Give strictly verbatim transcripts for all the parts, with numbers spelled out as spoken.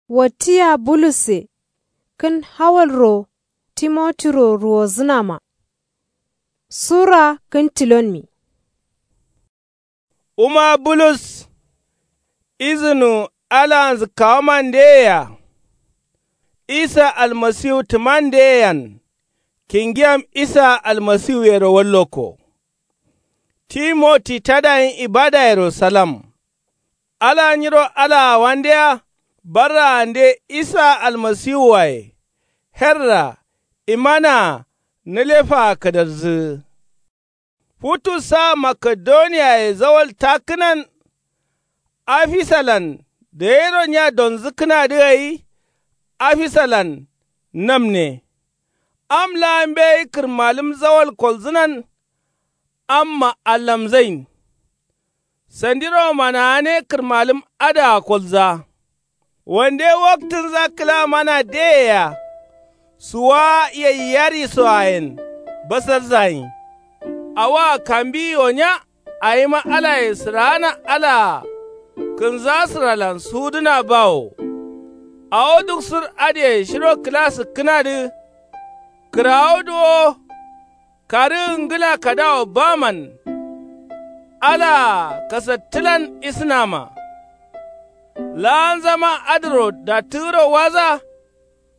Wattiya bulusse kǝn hawalro timotiro ruwozǝnama. Sura kǝn tilonmi. Wuma bulus izǝnu alaanzǝ kawamandeyea. Isa almasiwu tǝmandeyeyen kingiyam isa almasiwuyero wallokko. Timoti tadayin ibadayero salam. Ala nyiro alaawandeya barraande isa almasiwuwaye herra imanaa nǝlefaa kǝdarzǝgǝ. Futu sa makedoniyaye zawal takkǝnan afisalan dayiro nya donzǝkkǝnadǝ gai. Afisalan namne. Am laa mbeyi kǝrmalǝm zawal kolzǝnan. Amma allamzain sandiro manaane kǝrmalǝm adǝa kolza. Wande waktǝnza kǝla mana deyea suwa yaiyarisoayen basarzayin. Awoa kambiyi wo nya awima alaye sǝraana alaa kǝnzasǝralan sudǝna bawo. Awo duk sǝr adǝyen shiro kǝla sǝkkǝnadǝ kǝrawu duwo. Karǝgǝ ngǝla kadawo baman alaa kasattǝlan isǝnama. Laanzama adǝro dattǝgǝro waza.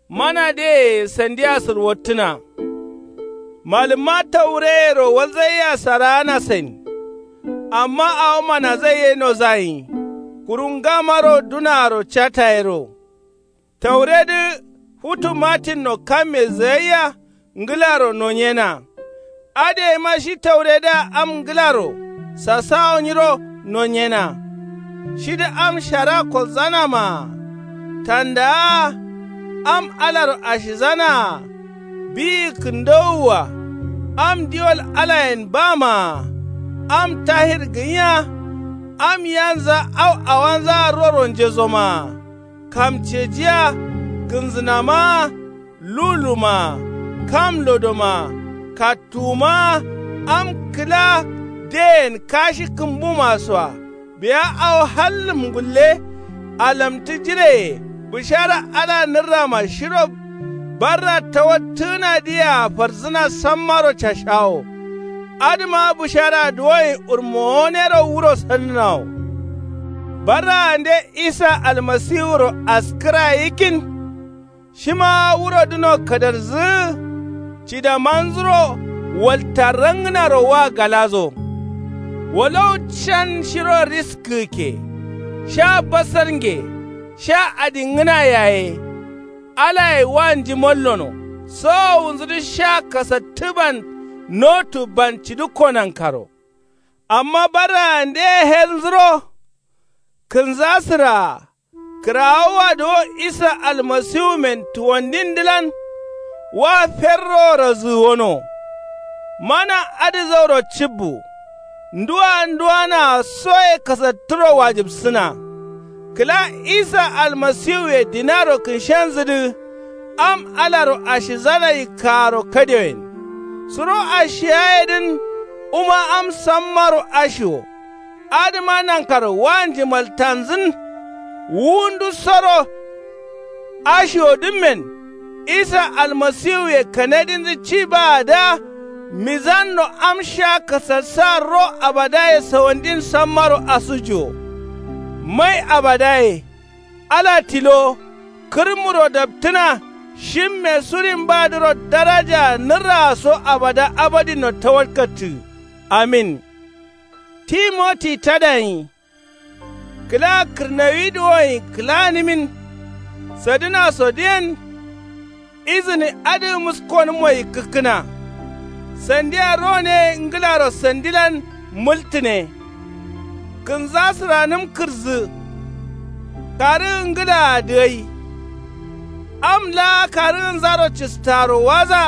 Mana deye sandiya sǝrwottǝna. Malǝmma taureyero walzaiyea saraanasain. Amma awo manazai ye nozayin. Kuru ngamaro dunaaro catayero. Tauredǝ futu matinno kamme zǝgaiya ngǝlaro nonyena. Adǝ yeima shi tauredǝa am ngǝlaro sasawo nyiro nonyena. Shidǝ am shara kolzanamaa. Tandaa am alaro ashizanaa. Biyi kǝndowua. Am diwol alayen bamaa. Am tahir gǝnya. Am yanza au awanzaa roro njezomaa. Kamcejiya kǝnzǝnamaa. Lulumaa. Kam lodomaa. Kattuwumaa. Am kǝla deyen kashi kǝmbumasoa. Biya awo hallǝm ngulle. Alamtǝ jireye bǝshara ala nǝrrama shiro. Barra tawattǝgǝnadǝyea farzǝna sammaro cashawo. Adǝma bǝsharaa duwoyin urmowonero wuro sannǝnawo. Barraande isa almasiwuro askǝra yikkin. Shima wurodǝno kadarzǝgǝ cidamanzuro walta rangǝnaro wa galazo. Wolow can shiro riskǝgǝkke sha basarnge sha adingǝna yaye. Alaye wa njimallono sowowunzudǝ sha kasattǝban notu ban cidǝkko nankaro. Amma barraandeye helnzuro kǝnzasǝraa kǝrawowa duwo isa almasiwumen tuwandindǝlan wa ferroworo zǝgǝwono. Mana adǝ zauro cibbu nduwa nduwanaa soye kasattǝro wajǝbsǝna. Kǝla isa almasiwuye dinaro kǝnshenzǝdǝ am alaro ashizana yikkaaro kadewoyen. Suro ashiyayedǝn wuma am sammaro ashiwo. Adǝma nankaro wa njimaltanzǝn. Wu ndusoro ashiwodǝmmen isa almasiwuye kanadinzǝ ci baada. Mizanno am sha kasassa ro abadaye sawandin sammaro asujuwo. Mai abadaye ala tilo kǝrmuro daptǝna. Shimme surin badǝro darajaa nǝrraa so abada abadinno tawalkattǝ. Amin. Timoti tadayin kǝla kǝrnawi duwoyin kǝlanǝmin. Sadǝnasodǝyen izǝni adǝ muskonǝmmo yikkǝkkǝna. Sandiya rone ngǝlaro sandilan mǝltǝne. Kǝnzasǝranǝm kǝrzǝ karǝgǝ ngǝlaa dǝgai. Am laa karǝgǝnzaro cǝstaaro waza.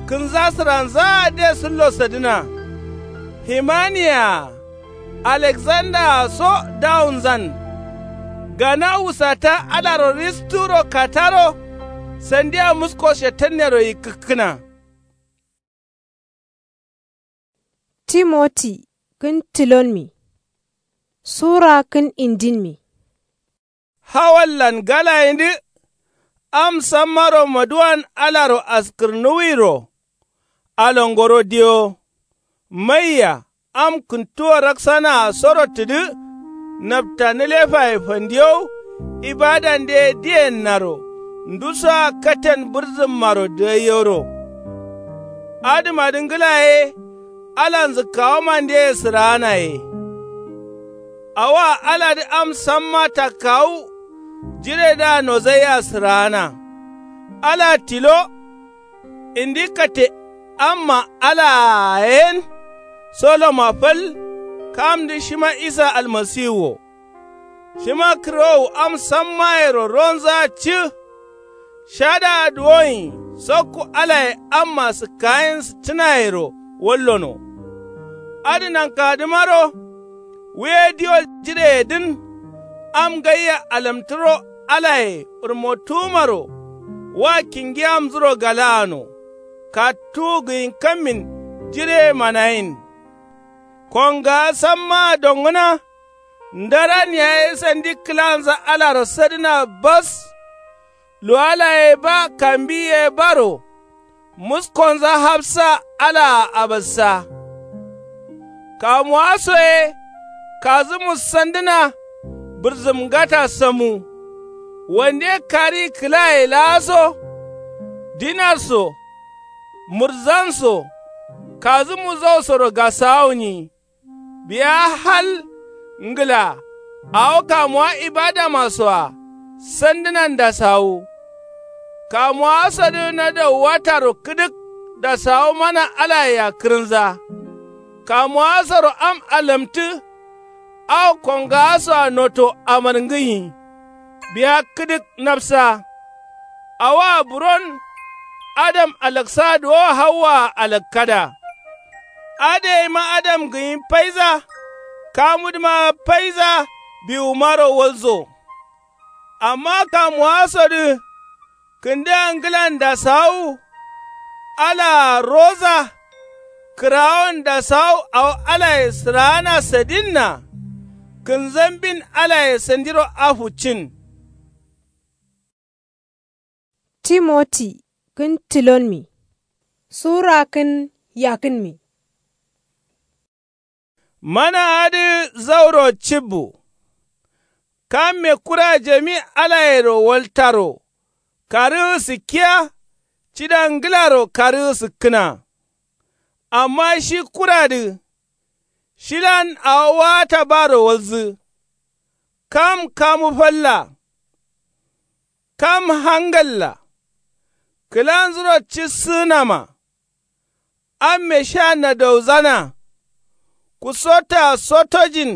Kǝnzasǝranzaa de sǝllo sadǝna. Himaniyaa aleksandaraa so dawunzan. Gana wusata alaro risturo kataro sandiya musko shetannero yikkǝkkǝna. Timoti kǝn tilonmi sura kǝn indinmi. Hawallan galayindǝ. Am sammaro maduwan alaro askǝrnuwiro. Alongoro diyo. Maiya am kǝntuwo raksanaa soro tǝdǝ. Napta nǝlefaye fandiyow. Ibadande diyennaro ndusoa katen bǝrzǝmmaro dǝgaiyoro. Adǝmadǝ ngǝla ye. Alanzǝ kawomandeye sǝraana ye. Awoa aladǝ am samma takkawu. Jiredǝa nozaiya sǝraana. Ala tilo. Indi kate amma alaa yen. Soloma fal. Kamdǝ shima isa almasiwu wo. Shima kǝrowu am sammayero ronzaa cǝ. Shadǝa duwoyin sokku alaye amma sǝkkayin sǝttǝnayero wallono. Adǝ nankadǝmaro. Wuye diwol jireyedǝn. Am gaiya alamtǝro alaye ɓǝrmottuwumaro. Wa kingi amzuro galaano. Kattuwu gǝyin kammin jireye manayin. Kongaa sammaa dongǝna. Ndaran yaye sandi kǝlanza alaro sadǝna bas. Luwala ye ba kambi ye baro. Muskonza hafsa alaa abassa. Kamuwa so ye. Kazǝmu sandǝna. Bǝrzǝm ngata samu. Wande kari kǝlaye laa so. Dinar so. Murzan so. Kazǝmu zausoro gasawu nyi. Biya hal ngǝla. Awo kamuwa ibadama soa. Sandǝnan dasawu. Kamuwa sodǝ nadau wataro kǝdǝk. Dasawu mana alayea kǝrǝnza. Kamuwa soro am alamtǝ. Awo kongawa soa noto amarngǝnyi. Biya kǝdǝk nafsa. Awoa buron. Adam alaksa duwo hawwaa alakkada. Adǝ yeima adam gǝnyi faiza. Kamudǝma faiza. Biwumaro walzo. Amma kamuwasodǝ. Kǝndǝa ngǝlan dasawu. Alaa roza. Kǝrawon dasawu awo alaye sǝraana sadinna. Kǝnzambin alaye sandiro afu cin. Timoti kǝn tilonmi. Sura kǝn yakǝnmi. Mana adǝ zauro cibbu. Kamme kura jami alayero waltaro. Karǝgǝ sǝkkiya. Cida ngǝlaro karǝgǝ sǝkkǝna. Amma shi kuradǝ. Shilan awo waata baro walzǝ. Kam kamu falla. Kam hangalla. Kǝlanzuro cissǝgǝnama. Amme sha nadauzana. Kusotta sotojin.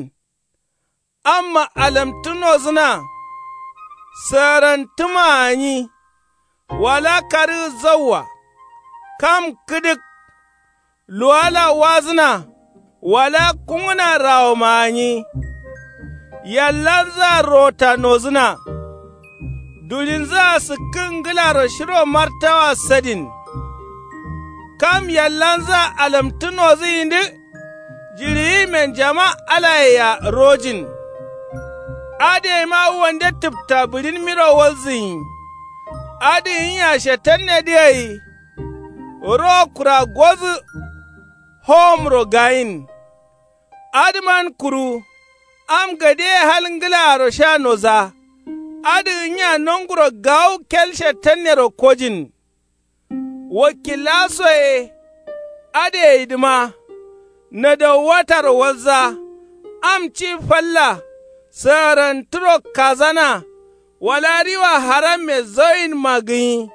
Amma alamtǝ nozǝna. Sǝgarantǝma gǝnyi. Wala karǝgǝ zauwa. Kam kǝdǝk. Luwala wazǝna. Wala kungǝna rawoma gǝnyi. Yallanzǝa rota nozǝna. Dulinzǝa sǝkkǝ ngǝlaro shiro martawa sadin. Kam yallanzǝa alamtǝ nozǝyindǝ. Jiɍiyimen jama alayea rojin. Adǝ yeima wande tǝpta bǝɍinmiro walzǝnyi. Adǝ gǝnya shetannedǝ gai. Ro kura gozǝ. Howomro gayin. Adǝman kuru. Am gadeye hal ngǝlaaro sha noza. Adǝ gǝnya nonguro gawu kel shetannero kojin. Wakilla soye. Adǝ gaidǝma. Nadauwataro walza. Am ci falla. Sǝgarantǝro kazana. Wala riwa haramme zauyinma gǝnyi.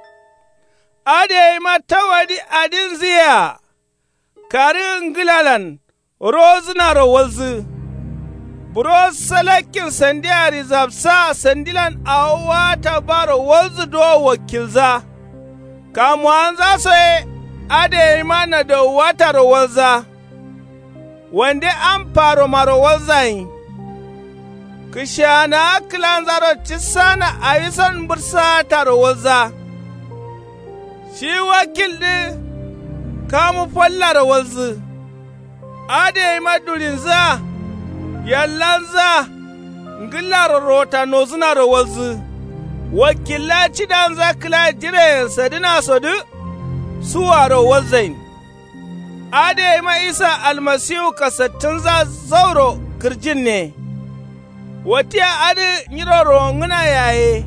Adǝ gaima tawadi adinzǝ yea. Karǝgǝ ngǝlalan. Rozǝnaro walzǝ. Buro salakkin sandia rizabsaa sandilan awo waata baro walzǝ duwo wakilza. Kamuwanza so ye. Adǝ gaima nadauwataro walza. Wande am faromaro walzayin. Kǝshaanawa kǝlanzaro cissana awison mbǝrsaataro walza. Shi wakildǝ. Kamu fallaro walzǝ. Adǝ gaima dulinzǝa. Yallanzǝa. Ngǝllaro rota nozǝnaro walzǝ. Wakilla cidanza kǝla jireyen sadǝnasodǝ. Suwaro walzain. Adǝ gaima isa almasiwu kasattǝnza zauro kǝrjinne. Watiya adǝ nyiro rowongǝna yaye.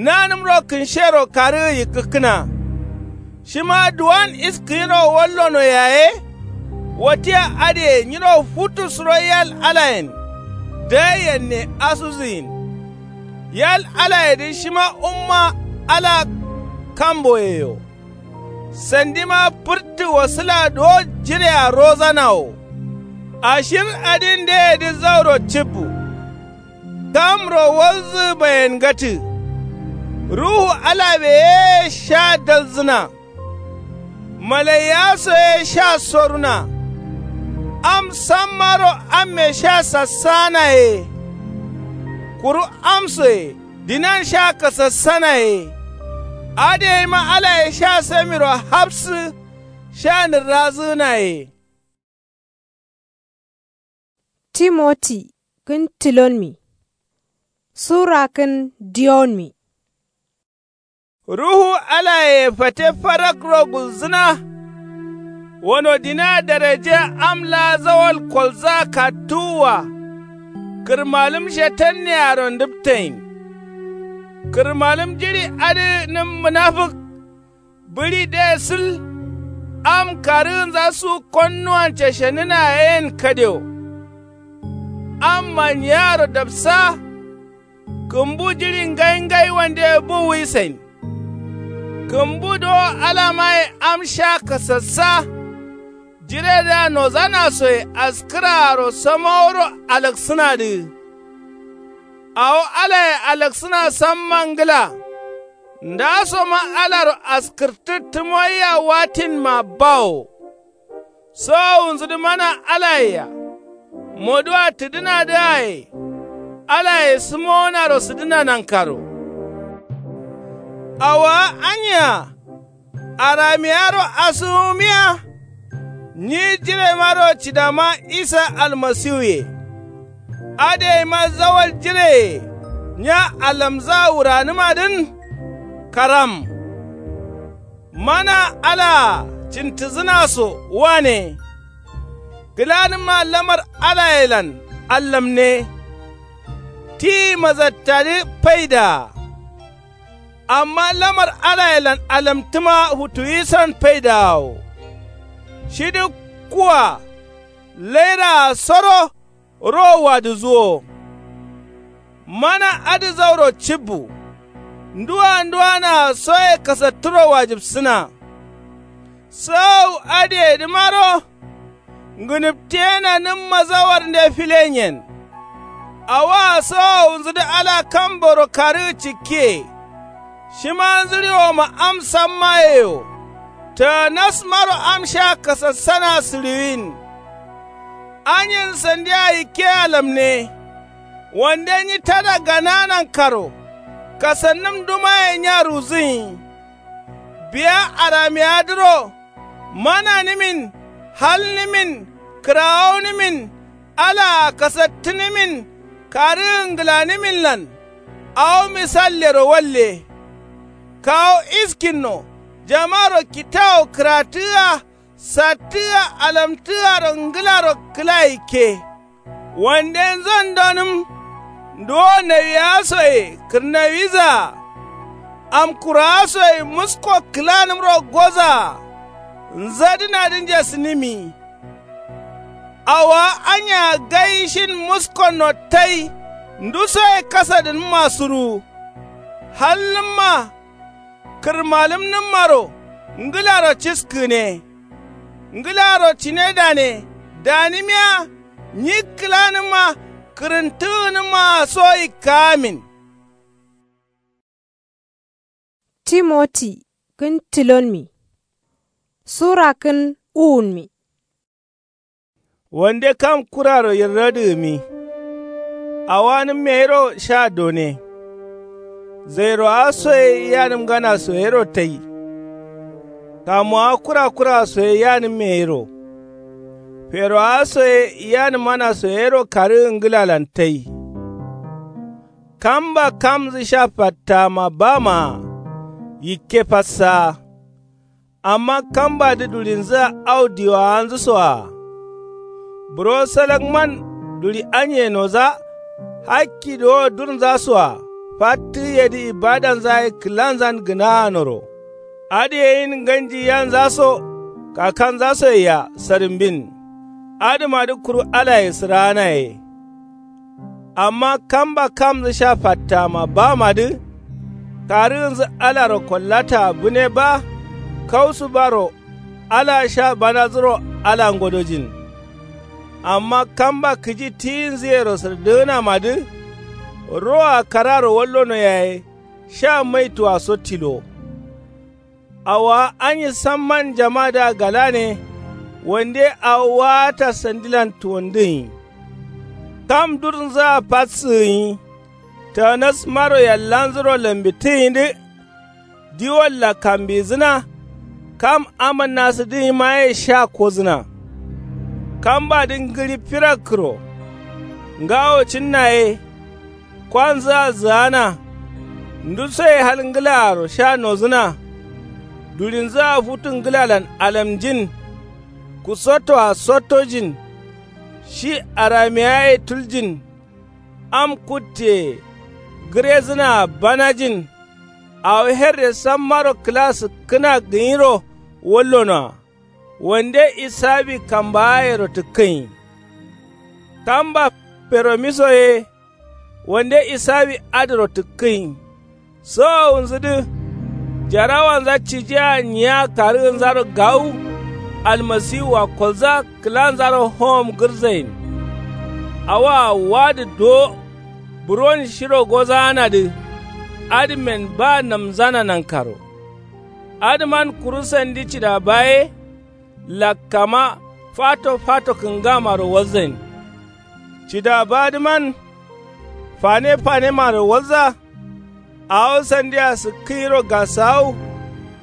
Nanǝmro kǝnshero karǝgǝ yikkǝkkǝna. Shima duwan iskǝnyiro wallono yaye. Watiya adǝye nyiro futu suro yal alayen. Daiyen ne asuzǝgin. Yal alayedǝ shima umma ala kamboyeyo. Sandima fǝrtǝ wasǝla duwo jirea rozanawo. Ashir adin deyedǝ zauro cibbu. Kamro walzǝ bayengatǝ. Ruhu alabe ye sha dalzǝna. Malaiya so ye sha soruna. Am sammaro amme sha sassana ye. Kuru amsoye dinan sha kasassana ye. Adǝ gaima alaye sha samiro hafsǝ. Sha nǝrrazǝgǝna ye. Timoti kǝn tilonmi. Sura kǝn diyonmi. Ruhu alaye fate farakro gulzǝna. Wano dina daraje am laa zawal kolza kattuwwa. Kǝrmalǝm shetannearo ndǝptain. Kǝrmalǝm jiɍi adǝ nǝm mǝnafǝk. Bǝɍi de sǝl. Am karǝgǝnza su konnuwan cashenǝna yen kadewo. Amma nyiaro dapsa. Kǝmbu jiɍi ngai ngai wande bu wuisain. Kǝmbu dowo alamaye am sha kasassa. Jiredǝa nozanasoye askǝraaro samaworo alaksǝnadǝ. Awo alaye alaksǝna samma ngǝla. Ndasoma alaro askǝrtǝ tǝmoiya watinma bawo. Sowowunzudǝ mana alayea. Moduwa tǝdǝnadǝaye. Alaye sǝmowonaro sǝdǝna nankaro. Awowa anya. Aramiyaro asǝgǝmiya. Nyi jiremaro cidama isa almasiwuye. Adǝ gaima zawal jireye nya alamza wuranǝmadǝn. Karam. Mana alaa cintǝzǝnaso wane. Gǝlanǝmma lamar alayelan allamne. Ti mazattadǝ faidaa. Amma lamar alayelan alamtǝma futuwisan faidaawo. Shidǝ kuwa lairaa soro. Rowo wadǝzǝwo. Mana adǝ zauro cibbu. Nduwa nduwanaa soye kasattǝro wajibsǝna. Sowowu adǝyedǝmaro. Ngǝnǝptiyenanǝmma zawarnde filenyen. Awoa sowowunzudǝ ala kamboro karǝgǝ cikkiye. Shima nzǝɍiwoma am sammayeyo. Taanasmaro am sha kasassana sǝɍiwin. Anyen sandia yikke alamne. Wande nyi tada ganaa nankaro. Kasannǝm dumaye nya ruwuzǝnyi. Biya aramiyadǝro. Mananǝmin. Halnǝmin. Kǝrawaunǝmin. Alaa kasattǝnǝmin. Karǝgǝ ngǝlanǝminlan. Awo misallero walle. Kawu iskinno. Jamaro kitawo kǝratǝgǝa. Sattǝgǝa alamtǝgǝaro ngǝlaro kǝla yikke. Wande nzondonǝm. Nduwo nawiyasoye kǝrnawizaa. Amkurawasoye musko kǝlanǝmro gozaa. Nzadǝnadǝ njasǝnǝmi. Awowa anya gai shin muskonno tai. Ndusoye kasadǝnǝmma suruwu. Halnǝmma. Kǝrmalǝmnǝmmaro ngǝlaro ciskǝgǝne. Ngǝlaro cine dane. Danǝmiya. Nyi kǝlanǝmma. Kǝrǝntǝgǝnǝmmaa so yikkaamin. Timoti kǝn tilonmi. Sura kǝn uwunmi. Wande kam kuraro yirradǝgǝmi. Awanǝmme yero sha done. Zairowa soye yanǝmgana soyero tai. Kamuwa kura kura soye yanǝmme yero. Ferowaso ye yanǝmanaso yero karǝgǝ ngǝlalan tai. Kamba kamnzǝ sha fattama bamaa yikke fatsaa. Amma kambadǝ dulinzǝa au diwawanzǝsoa. Buro salakman duli anye nodza. Hakki dowo durnzasoa fattǝgǝyedǝ ibadanza ye kǝlanzan gǝnaanoro. Adǝ ye yin nganji yanzaso kakanzasoyea sadimbin. Adǝmadǝ kuru alaye sǝraanaye. Amma kamba kamnzǝ sha fattama bamadǝ. Karǝgǝnzǝ alaro kollataa bǝne ba. Kausu baro alaa sha banadzǝro ala ngodojin. Amma kamba kǝji tiyinzǝyero sǝrdǝgǝnamadǝ. Roa kararo wallono yaye sha maituwa so tilo. Awowa anyi samman jamadǝa galane. Wande awo waata sandilan tuwandǝgǝnyi. Kam durnzǝa fatsǝgǝnyi. Tanasmaro yallanzuro lambitǝgǝnyidǝ. Diwolla kambizǝna. Kam amannasǝdǝgǝnyimaye sha kozǝna. Kambadǝ ngǝɍi firakkǝro. Ngawo cǝnnaye. Kwanzǝa zǝgana. Ndusoye hal ngǝlaaro sha nozǝna. Dulinzǝa futu ngǝlalan alamjin. Kusottoa sottojin. Shi aramiyaye tuljin. Am kutteye. Gǝrezǝnaa banajin. Awo herre sammaro kǝla sǝkkǝna gǝnyiro wallonoa. Wande isabi kambaayero tǝkkǝnyi. Kamba feromiso ye. Wande isawi adǝro tǝkkǝnyi. Sowowunzǝdǝ. Jarawanza cijea nyiya karǝgǝnzaro gawu. Almasiwua kolza kǝlanzaro howom gǝrzayin. Awoa wadǝ duwo. Buron shiro gozaanadǝ. Adǝmen ba namzana nankaro. Adǝman kuru sandi cidaba ye. Lakkama fato fato kǝngamaro walzain. Cidabadǝman fane fanemaro walza. Awo sandia sǝkkǝnyiro gasawu.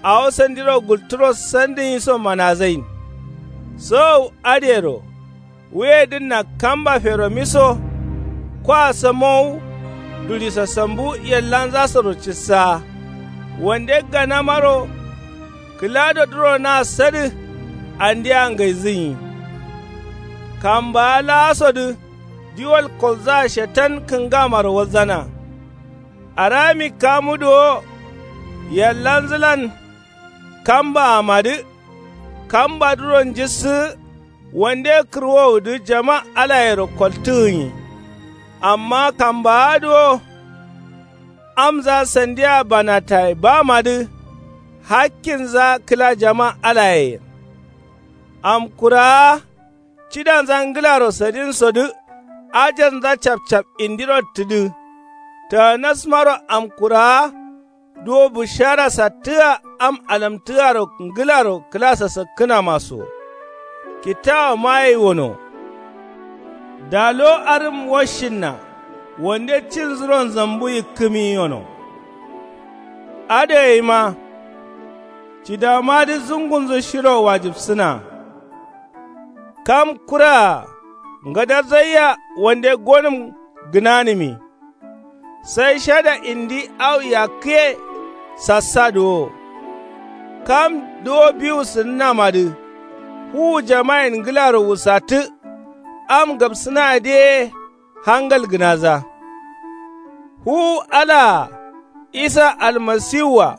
Awo sandiro gulturo sandǝnyiso manazain. Sowowu adǝyero. Wuyedǝnna kamba feromiso. Kwa samowu. Duli sasambu yallanzasoro cissa. Wande ganamaro. Kǝladodǝro na sadǝ. Andia ngaizǝnyi. Kambaa laasodǝ. Diwol kolzaa shetan kǝngamaro walzana. Arami kamudu wo. Yallanzǝlan. Kambaamadǝ. Kambadǝro njissǝgǝ. Wande kǝrwowudǝ jama alayero koltǝgǝnyi. Amma kambaadǝ wo. Amza sandia banataye bamadǝ. Hakkinza kǝla jama alayeyen. Amkuraa. Cidanza ngǝlaro sadinsodǝ. Ajarnza capcap indiro tǝdǝ. Tanasmaro amkuraa. Duwo bushara sattǝa am alamtǝaro ngǝlaro kǝla sasakkǝnamaso. Kittawo maye wono. Dalo arǝm washinna. Wande cinzuro nzambu yikkǝmi yono. Adǝ gaima. Cidamadǝ zungunzǝ shiro wajibsǝna. Kam kuraa. Ngadarzaiya wande gonǝm gǝnanǝmi. Sai shada indi au yakkǝye. Sassadǝ wo. Kam duwo biwu sǝnǝnamadǝ. Fuwu jamayen ngǝlaro wusattǝ. Am gabsǝnadǝ ye. Hangal gǝnaza. Fuwu alaa. Isa almasiwua.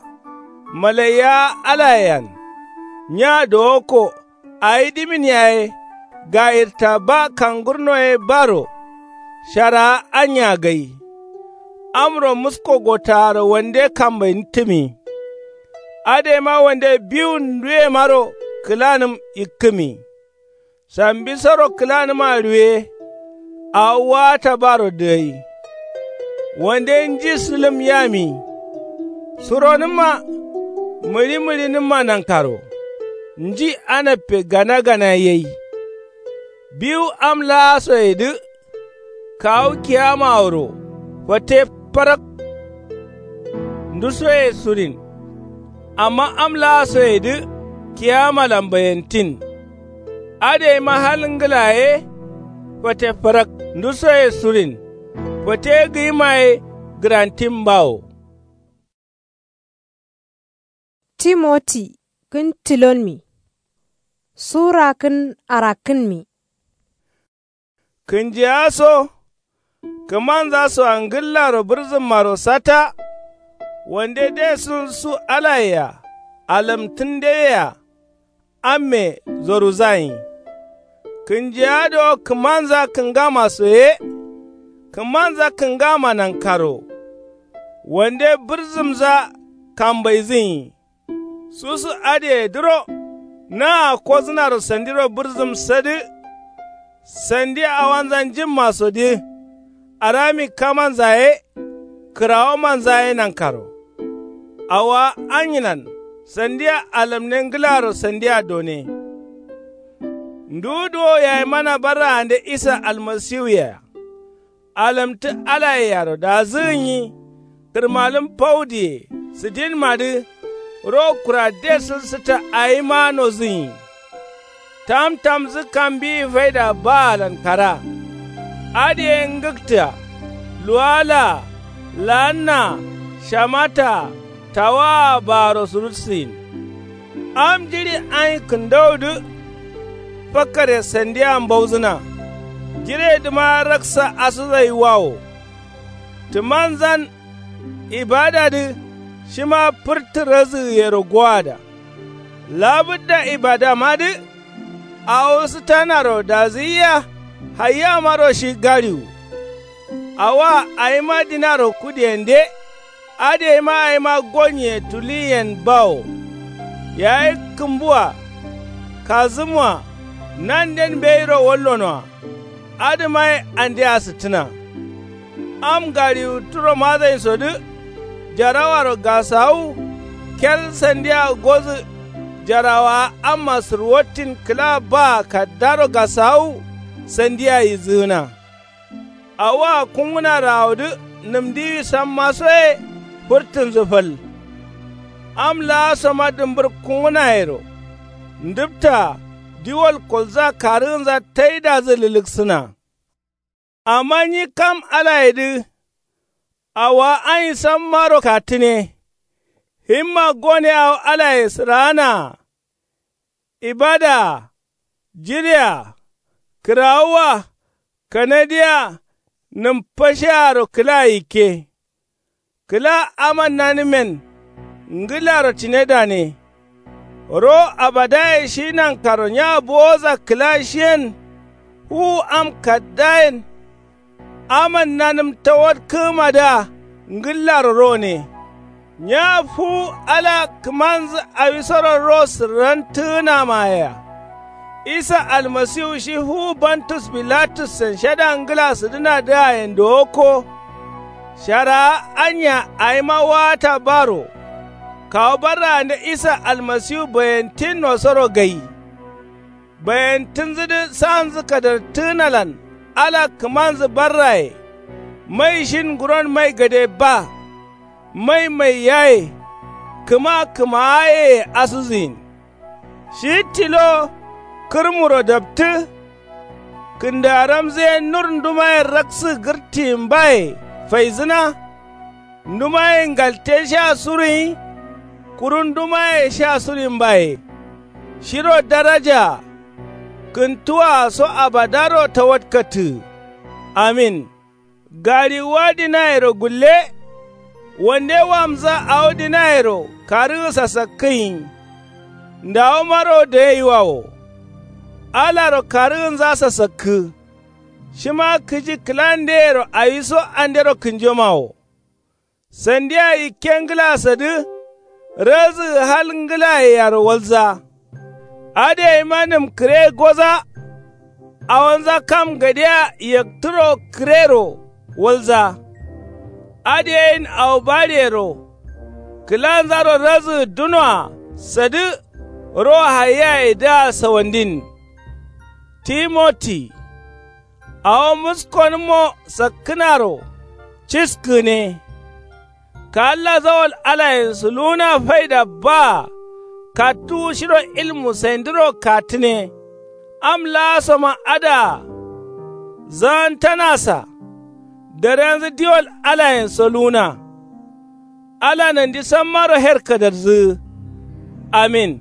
Malaiyawa alayen. Nya dowokko. Awi dǝmin yaye. Gayirta ba kangurno ye baro. Sharaa anya gai. Amro musko gotaaro wande kambainittǝmi. Adǝ yema wande biwun nduyemaro kǝlanǝm yikkǝmi. Sambisoro kǝlanǝma ruwe. Awo waata baro dǝgai. Wande nji sǝlǝm yami. Suronǝmma. Mǝɍi mǝɍinǝmma nankaro. Nji anappe gana gana yai. Biwu am laasoyedǝ. Kawu kiyamaworo fate farak. Ndusoye surin. Amma am laasoyedǝ kiyamalan bayentin. Adǝ yeima hal ngǝla ye. Fate fǝrak nduso ye surin. Fate gǝyima ye gǝrantin bawo. Timoti kǝn tilonmi. Sura kǝn arakkǝnmi. Kǝnjiya so. Kǝmanza soa ngǝllaro bǝrzǝmmaro sata. Wande desun su alayea. Alamtǝndeyea. Amme zoruzayin. Kǝnjiya do kǝmanza kǝngama so ye. Kǝmanza kǝngama nankaro. Wande bǝrzǝmza kambaizǝnyi. Susu adǝyedǝro. Naa kozǝnaro sandiro bǝrzǝm sadǝ. Sandi awanza njǝmma sodǝ. Arami kamanza ye. Kǝrawomanza ye nankaro. Awowa anyilan. Sandia alamne ngǝlaro sandia done. Nduwu duwo yayimana barraande isa almasiwuyea. Alamtǝ alayeyaro dazǝgǝnyi. Kǝrmalǝm faudiye sǝdinmadǝ. Ro kura desǝn sǝta awima nozǝnyi. Tamtamsǝ kambiyi faida baalan kara. Adǝ ye ngǝkta. Luwalaa. Laannaa. Shamataa. Tawaa baaro surutsiyin. Am jiɍi ain kǝndowudǝ. Fakkare sandia mbauzǝna. Jiredǝma raksa asǝzaiwawo. Tǝmanzan. Ibadadǝ. Shima fǝrtǝ razǝgǝyero gowada. Labǝdda ibadamadǝ. Awo sǝtanaro dazǝyiya. Hayyamaro shi gaɍiwu. Awoa awima dinaro kudiyende. Adǝyeima awima gonnye tuliyen bawo. Yayi kǝmbua. Kazǝmua. Nanden mbeyiro wallonoa. Adǝma ye andea sǝttǝna. Am gaɍiwu turo mazain sodǝ. Jarawaro gasawu. Kel sandia gozǝ. Jarawaa amma sǝrwattin kǝla baa kaddaro gasawu. Sandia yizǝgǝna. Awoa kungǝnaro awodǝ. Nǝmdiwi sammaso ye. Fǝrtǝnzǝ fal. Am laasoma dǝmbǝr kungǝnayero. Ndǝptaa. Diwol kolza karǝgǝnza taidazǝ lǝlǝksǝna. Amma nyi kam alayedǝ. Awowa ain sammaro kattǝne. Himma gone awo alaye sǝraanaa. Ibadaa. Jirea. Kǝrawuwa. Kanadiya. Nǝmfashearo kǝla yikke. Kǝla amannanǝmen. Ngǝlaro tinedane. Ro abadaye shi nankaro nya bowoza kǝla shiyen. Fuwu am kaddayen. Amannanǝm tawatkǝgǝmadǝa. Ngǝllaro rone. Nya fuwu ala kǝmanzǝ awisoro ro sǝrrantǝgǝnamayea. Isa almasiwu shi fuwu bantus bilatussen shada ngǝla sǝdǝnadǝayen dowokko. Sharawa anya awima wata baro. Kawu barraande isa almasiwu bayentinnosoro gai. Bayentǝnzǝdǝ sanzǝ kadartǝgǝnalan. Ala kǝmanzǝ barraye. Mai shin nguron mai gade ba. Mai mai yaye. Kǝma kǝmaayeye asǝzǝyin. Shi tilo. Kǝrmuro daptǝ. Kǝndaramzǝ ye nur ndumaye raksǝ gǝrtiyin baye. Faizǝna. Ndumaye ngalte sha suruyin. Kuru ndumaye sha suruyin baye. Shiro darajaa. Kǝntuwaa so abadaro tawatkattǝgǝ. Amin. Gaɍiwuwa dinayero gulle. Wande wamza awo dinayero karǝgǝ sasakkǝnyi. Ndawomaro dayeyiwawo. Alaro karǝgǝnza sasakkǝ. Shima kǝji kǝlandeyero awiso andero kǝnjomawo. Sandia yikke ngǝlasadǝ. Razǝgǝ hal ngǝlayeyaro walza. Adǝ yaima nǝmkǝre goza. Awonza kam gadea yaktǝro kǝrero walza. Adǝ yayin awo baɍiyero. Kǝlanzaro razǝgǝ dunoa sadǝ. Ro haiyayedǝa sawandin. Timoti. Awo muskonǝmmo sakkǝnaro. Ciskǝgǝne. Kaalla zawal alayen suluwuna faida baa. Kattuwu shiro ilmu saindǝro kattǝne. Am laa soman adǝa zaantanasa. Darenzǝ diwol alayen so luwuna. Ala nondi sammaro her kǝdarzǝgǝ. Amin.